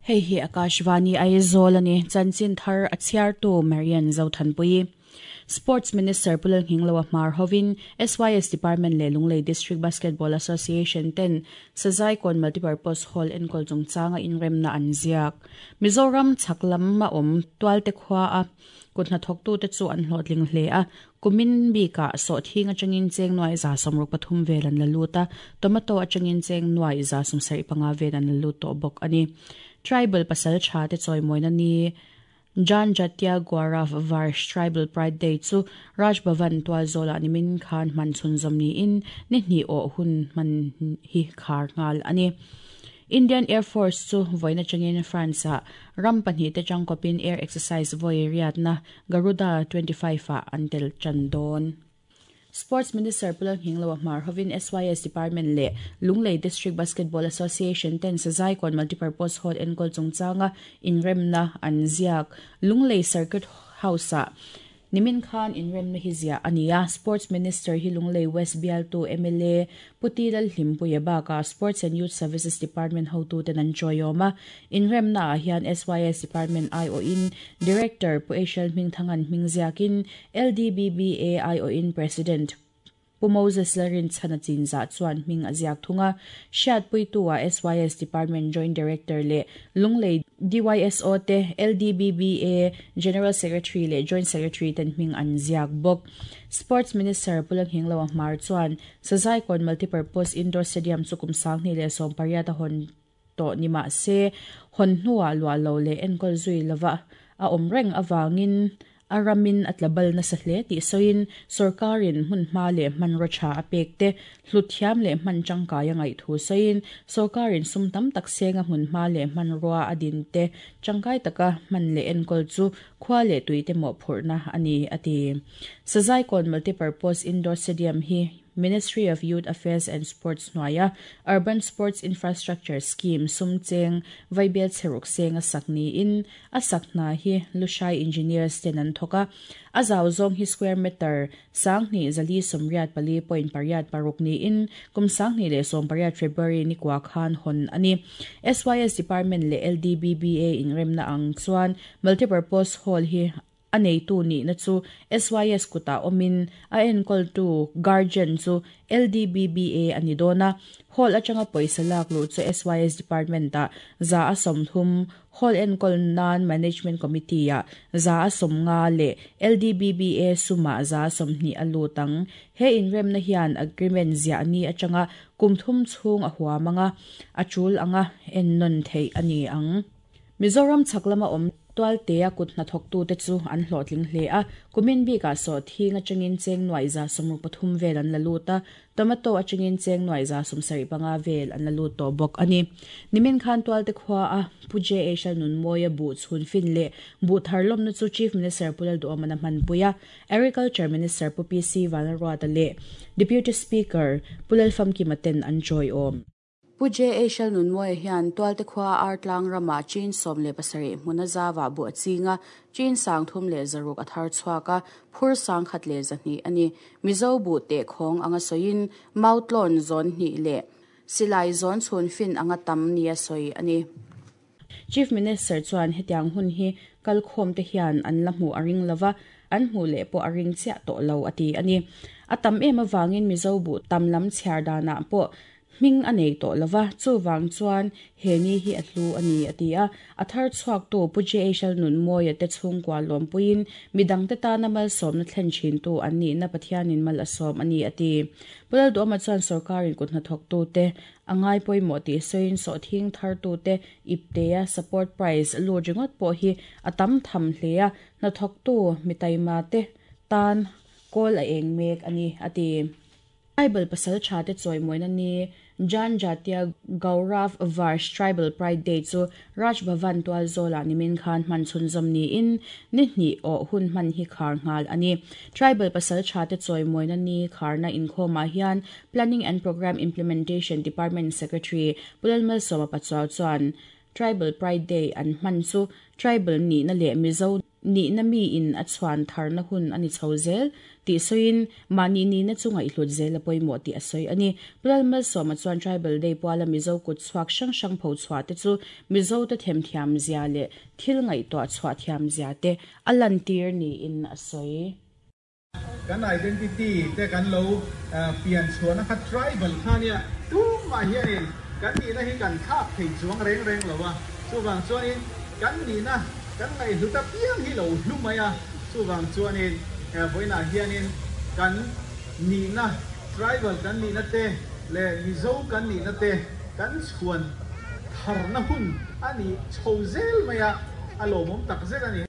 Hei hi Akashvani Aizawl a ni. Chanchin thar a chhiartu Marian Zothanpuii. Sports Minister Pu Lalnghingloa hmar hovin SYS Department leh Lunglei District Basketball Association ten Sazaikawn Multipurpose Hall enkawl chungchanga inremna an ziak. Mizoram chhak lam a awm Tualte khua a kut hnathawktute chu an hlawhtling hle a, kumin bikah sawhthing atangin cheng nuai 163 vel an la lut a, tomato atangin cheng nuai 75 vel an la lut tawh bawk a ni. Tribal pasal tha te chawimawina ni Janjatya Gaurav Varsh Tribal Pride Day chu Raj Bhavan tualzawlah nimin khan hman chhunzawm niin ni hnih awh hun hman hi khar nghal a ni. Indian Air Force chu vawiin atangin France-ah ram pahnihte tangkawpin air exercise vawi riatna Garuda 25 ah an tel tan dawn. Sports Minister Pu Lalnghingloa hmar hovin SYS Department leh Lunglei District Basketball Association ten Sazaikawn Multipurpose Hall enkawl chungchanga inremna an ziak Lunglei Circuit House-ah Nimin khan inremna hi ziah a ni a, Sports Minister hi Lunglei West bialtu mla Pu Ti Lalhlimpuia bakah Sports and Youth Services Department hotuten an chawiawm a. Inremnaah hian SYS Department aiawhin Director Pu Eishel Hmingthangan hming ziakin LDBBA aiawhin President Pu Moses Lalrinchhana chinzah chuan hming a ziak thung a, hriatpuitu-ah SYS Department Joint Director leh Lunglei DYSO te, LDBBA General Secretary leh Joint Secretary ten hming an ziak bawk. Sports Minister Pu Langhingloa Hmar chuan Sazaikawn Multipurpose Indoor Stadium chu kum 2018 a hawn tawh ni mah se, hawn hnuah luah lo leh enkawl zui lova a awm reng avangin a ramin a tla bal nasa hle tih sawiin sawrkarin hmun hma leh hmanraw tha a pek te hlut thiam leh hman tangkai a ngaih thu sawiin sawrkarin sum tam tak senga hmun hma leh hmanrua a din te tangkai taka hman leh enkawl chu khua leh tuite mawhphurhna a ni a ti. Sazaikawn Multipurpose Indoor Stadium hi Ministry of Youth Affairs and Sports hnuaia Urban Sports Infrastructure Scheme sum cheng vaibel chheruk seng a sak niin a sak hna hi Lushai Engineers ten an thawk a. A zau zawng hi square meter 2884.86 niin kum 2018 February ni kua khan hawn a ni. SYS Department leh LDBBA inremna ang chuan Multipurpose Hall hi A neitu nihna chu SYS kutah awmin a enkawltu, guardian, chu LDBBA a ni dawn a. Hall atanga pawisa lak luh chu SYS Department-ah 30%, Hall enkawl nan Management Committee-ah 50% leh LDBBA sumah 20% a lut ang. He inremna hian agreement ziah ni atanga kum thum chhung a huam ang a, a tul anga ennawn theih a ni ang. Mizoram chhak lama awm Tualtea kut hnathawktute chu an hlawhtling hle a, kumin bikah sawhthing atangin cheng nuaih 63 vel an la lut a, tomato atangin cheng nuaih 75 vel an la lut tawh bawk a ni. Nimin khan Tualte khua a Pu JH Lalnunmawia buh chhun fin leh buh thar lawmna chu Chief Minister Pu Lalduhawmana hmanpui a, Agriculture Minister Pu PC Vanlalruata leh Deputy Speaker Pu Lalfamkima ten an chawiawm. Pu JA Hrelnunmawia hian Tualte khua Artlang ramah Chin 17 hmuna zava buh a ching a, Chin 306 a thar chhuak a, phur 1102 a ni. Mizo buh teh khawng anga sawiin Mautlawn zawn hnih leh Silai zawn chhun fin anga tam nia sawi a ni. Chief Minister chuan hetiang hun hi kalkhawm te hian an la hmuh a ring lova, an hmuh leh pawh a ring chiah tawh lo a ti a ni. A tam em avangin Mizo buh tam lam chhiar danah pawh Hming a nei tawh lova, chuvang chuan he ni hi a hlu a ni, a ti a. A thar chhuaktu Pu JHL Nunmawia te chhungkua lawmpuiin midangte tana malsawmna thlen thintu an nihna Pathianin mal a sawm a ni, a ti. Pu Lalduhawma chuan sorkarin kut hnathawktute a ngai pawimawh tih sawiin sawhthing thartute iptea support price lut ringawt pawh hi a tam tham hle a, hnathawktu mitaima te tan kawl a eng mek a ni, a ti. Tribal pasal tha te chawimawina ni Janjatya Gaurav Varsh Tribal Pride Day chu Raj Bhavan tualzawlah nimin khan hman chhunzawm niin ni hnih awh hun hman hi khar nghal a ni. Tribal pasal tha te chawimawina ni kharna inkhawmah hian Planning and Programme Implementation Department Secretary Pu Lalmalsawma Pachuau chuan. Tribal Pride Day an hman chu tribal nihna leh Mizo nihna miin a chhuan tharna hun a ni chho zel tih sawiin mahni nihna chu ngaihhlut zel a pawimawh tih a sawi a ni. Pu Lalmalsawma chuan Tribal Day puala Mizo kut chhuak hrang hrang pho chhuah te chu Mizote themthiam zia leh thil ngaihtuah chhuah thiam zia te a lantir niin a sawi. Kan identity te kan lo pian chhuahna kha tribal kha nia, tumah hianin kan nihna hi kan thlak thei chuang reng reng lo a, chuvang chuanin kan nihna kan ngaihhlut apiang hi lo hlu mai a, chuvang chuanin vawiinah hianin kan nihna tribal kan nihna te leh Mizo kan nihna te kan chhuan tharna hun a ni chho zel mai a, a lawmawm takzet a ni.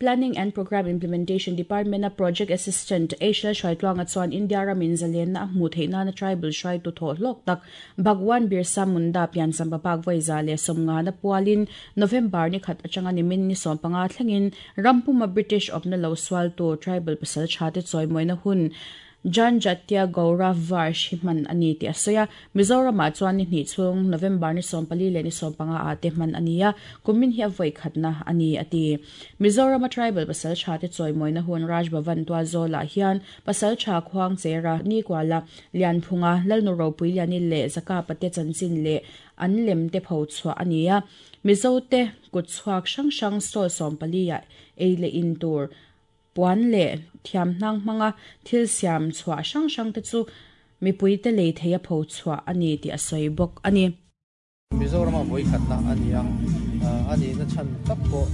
Planning and Programme Implementation Department-a Project Assistant Aishal Hruaitluanga chuan India ramin zalenna a hmuh theih nana tribal hruaitu thawh hlawk tak Bhagwan Birsa Munda piancham papak vawi 150 na pualin November ni khat atanga nimin ni 15 thlengin rampuma British awpna lo sualtu tribal pasal thate chawimawina hun Janjatya Gaurav Varsh hi hman a ni tih a sawi a. Mizoramah chuan ni hnih chhung November ni 14 leh ni 15 ah te hman a ni a, kumin hi a vawi khatna a ni a ti. Mizorama tribal pasal tha te chawimawina hun Raj Bhavan Tualzawlah hian pasal tha Khuangchera, Nikuala, Lianphunga, Lalnu Ropuiliani leh Zakapa te chanchin leh an lem te pho chhuah a ni a. Mizote kutchhuak hrang hrang stall 14 ah ei leh in tur Puan leh thiamhnang hmanga thil siam chhuah hrang hrang te chu mipuite lei thei a pho chhuah a ni tih a sawi bawk a ni. Mizorama vawi khatna a ni a, a nihna chhan tak pawh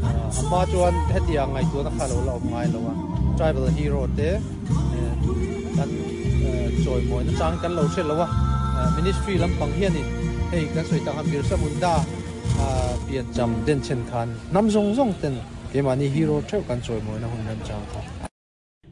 a hma chuan hetiang ngaihtuahna kha lo la awm ngai lo a, tribal hero te kan chawimawina chang kan lo hre lo a, ministry lampang hianin hei kan sawi tak ang Birsa Munda piancham denchhen khan hnam zawng zawng ten Keimahni hero theuh kan chawimawina hun remchang kha.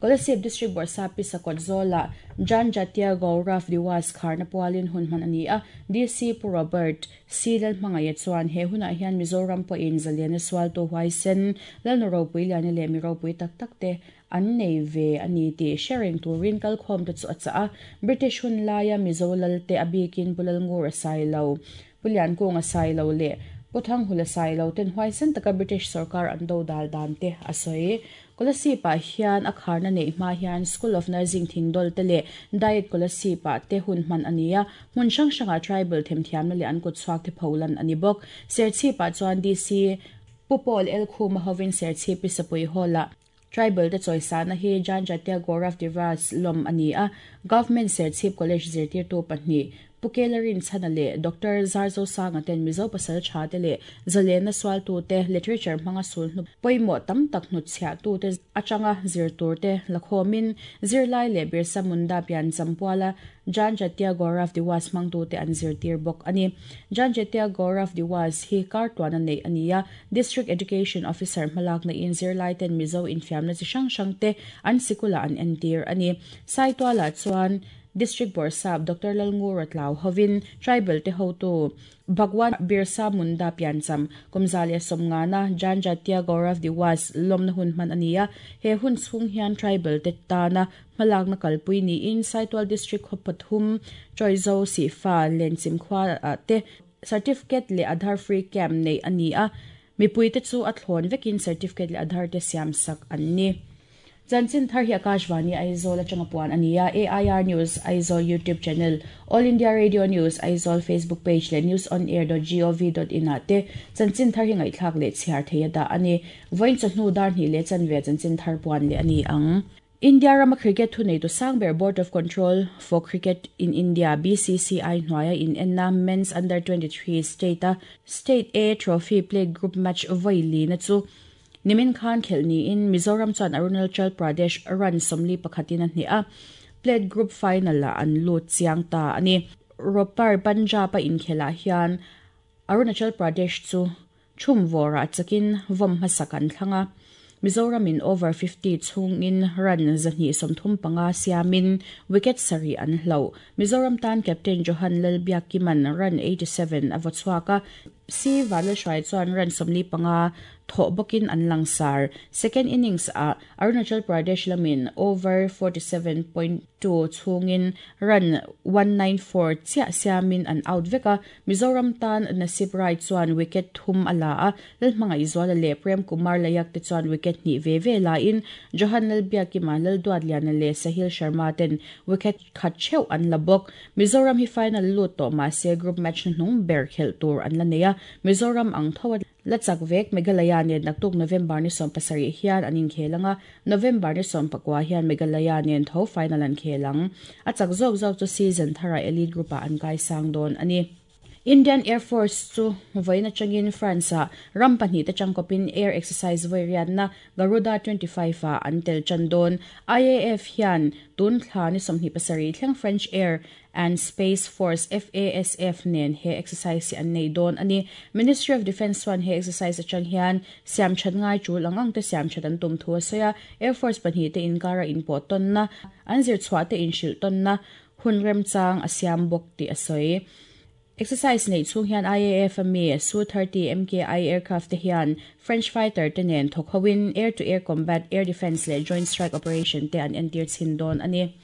Kolasib District Bawrhsap Pi Sakawt Zawlah Janjatya Gaurav Diwas kharna pualin hun hman a ni a, DC Pu Robert C Lalhmangaia chuan he hunah hian Mizoram pawhin zaliana sualtu huaisen Lalnu ropui liani leh mi ropui tak tak te an nei ve a ni tih hre reng turin kalkhawmte chu a chah a. British hun laia Mizo Lalte a bikin Pu Lalngur a sai lo. Pu Liankung a sai lo leh Pu Thanghul a sai lo ten huaisen taka British sorkar an do dal dan te a sawi. Kolasib ah hian a kharna neih hma hian School of Nursing Thingdawl te leh Diet Kolasib ah te hun hman a ni a, hmun hrang hrangah tribal themthiamna leh an kutchhuak te pholan a ni bawk. Serchhip ah chuan DC Pu Paul Elkhuma hovin Serchhip i Sapui Hall ah Tribal te chawisana hi Janjatya Gaurav Diwas lawm a ni a, Government Serchhip College zirtirtu pahnih, Pu Kela Rinchhana leh Doctor Zarzosanga ten Mizo pasal tha te leh zalenna sualtute literature hmanga sulhnu pawimawh tam tak hnutchhiahtute atanga zir turte la khawmin zirlai leh Birsa Munda piancham puala Janjatya Gaurav Diwas hmangtute an zirtir bawk a ni. Janjatya Gaurav Diwas hi kar tuana neih a ni a, District Education Officer hmalakna in zirlai ten Mizo infiamna chi hrang hrang te an sikulah an entir a ni. Saitualah chuan District Bawrhsap Doctor Lalngura Tlau hovin Tribal te hotu Bhagwan Birsa Munda piancham kum 150na Janjatya Gaurav Diwas lawmna hun hman a ni a. He hun chhung hian Tribal te tana hmalakna kalpui niin Saitual District khaw pathum Chawizo Sihfa Lenchim khua ah te Certificate leh Aadhaar free camp neih a ni a, mipuite chu a thlawn vekin certificate leh Aadhaar te siam sak an ni. Chanchin thar hi Akashvani Aizawl atanga puan a ni a, AIR News Aizawl YouTube channel, All India Radio News Aizawl Facebook page leh newsonair.gov.in ah te chanchin thar hi ngaihthlak leh chhiar thei a dah a ni. Vawiin chawhnu dar hnih leh chanve chanchin thar puan leh a ni ang. India rama cricket thuneitu sang ber Board of Control for Cricket in India, BCCI, hnuaia inenna Men's Under 23 State-a State A Trophy Plate Group match vawi lina chu nimin khan khelh niin Mizoram chuan Arunachal Pradesh run 41 in a hneh a, Plate Group final-ah an lut chiang ta a ni. Ropar Punjab-a inkhelhah hian Arunachal Pradesh chu Chhum vawrah chakin vawm hmasak an thlang a, Mizoramin over 50 chhungin run 235 siamin wicket sarih an hloh. Mizoram tan captain Johan Lalbiakkima'n run 87 a vaw chhuak a, C Vanlalhruai chuan run 45 thawh bawkin an langsar. Second innings ah Arunachal Pradesh lamin over 47.2 chhungin run 194 chiah siamin an out vek a, Mizoram tan Nasib Rai chuan wicket thum a la a, Lalhmangaihzuala leh Prem Kumar Layak te chuan wicket hnih ve ve la in Johan Lalbiakima, Lalduatliana leh Sahil Sharma ten wicket khat theuh an la bawk. Mizoram hi final lut tawh mah se group match hnuhnung ber khelh tur an la nei a, Mizoram ang tho a la chak vek. Meghalaya nen naktuk November ni 17 hian an inkhel ang a, November ni 19 hian Meghalaya nen tho final an khel ang. A chak zawk zawk chu season tharah Elite Group-ah an kaisang dawn a ni. Indian Air Force chu vawiin atangin France-ah ram pahnihte tangkawpin air exercise vawi riatna Garuda 25 ah an tel tan dawn. IAF hian tun thla ni 27 thleng French Air and Space Force, FASF, nen he exercise hi an nei dawn a ni. Ministry of Defence chuan he exercise atang hian siamthat ngai tul ang ang te siamthat an tum thu a sawi a, Air Force pahnihte inkara inpawh tawnna, an zirchhuah te inhrilh tawnna hun remchang a siam bawk tih a sawi. Exercise neih chhung hian IAF a mi Su-30 MKI aircraft te hian French fighter te nen thawk hoin air-to-air combat, air defence leh joint strike operation te an entir chhin dawn a ni.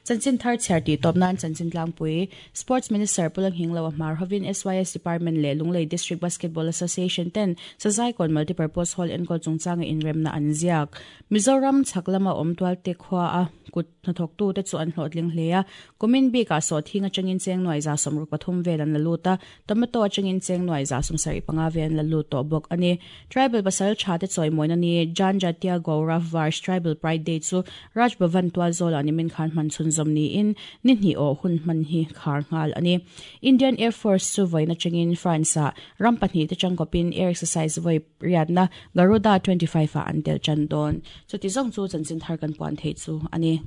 Chanchin thar chhiar tih tawp nan Chanchin Tlangpui, Sports Minister Pu Langhinglo a hmar hovin SYS Department leh Lunglei District Basketball Association ten Sazaikawn Multipurpose Hall enkawl chungchanga inremna an ziak. Mizoram chhak lama awm tualte khua a kut Hnathawktute chu an hlawhtling hle a, kumin bikah sawhthing atangin cheng nuai 63 vel an la lut a, tomato atangin cheng nuai 75 vel an la lut tawh bawk a ni. Tribal pasal tha te chawimawina ni Janjatiya Gaurav Varsh Tribal Pride Day chu Raj Bhavan tualzawlah nimin khan hman chhunzawm niin ni hnih awh hun hman hi khar nghal a ni. Indian Air Force chu vawiin atangin France-ah ram pahnihte tangkawpin air exercise vawi riatna Garuda 25 ah an tel tan dawn. Chuti zawng chu chanchin thar kan puan theih chu a ni.